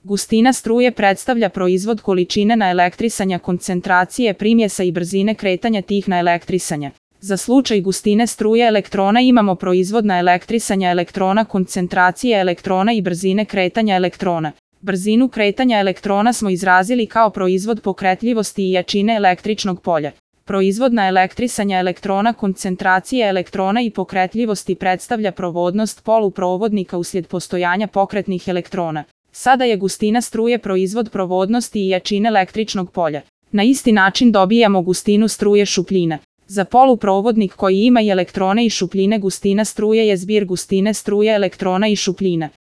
Gustina struje predstavlja proizvod količine naelektrisanja, koncentracije primjesa i brzine kretanja tih naelektrisanja. Za slučaj gustine struje elektrona imamo proizvod naelektrisanja elektrona, koncentracije elektrona i brzine kretanja elektrona. Brzinu kretanja elektrona smo izrazili kao proizvod pokretljivosti i jačine električnog polja. Proizvod naelektrisanja elektrona, koncentracije elektrona i pokretljivosti predstavlja provodnost poluprovodnika uslijed postojanja pokretnih elektrona. Sada je gustina struje proizvod provodnosti i jačine električnog polja. Na isti način dobijamo gustinu struje šupljina. Za poluprovodnik koji ima i elektrone i šupljine, gustina struje je zbir gustine struje elektrona i šupljina.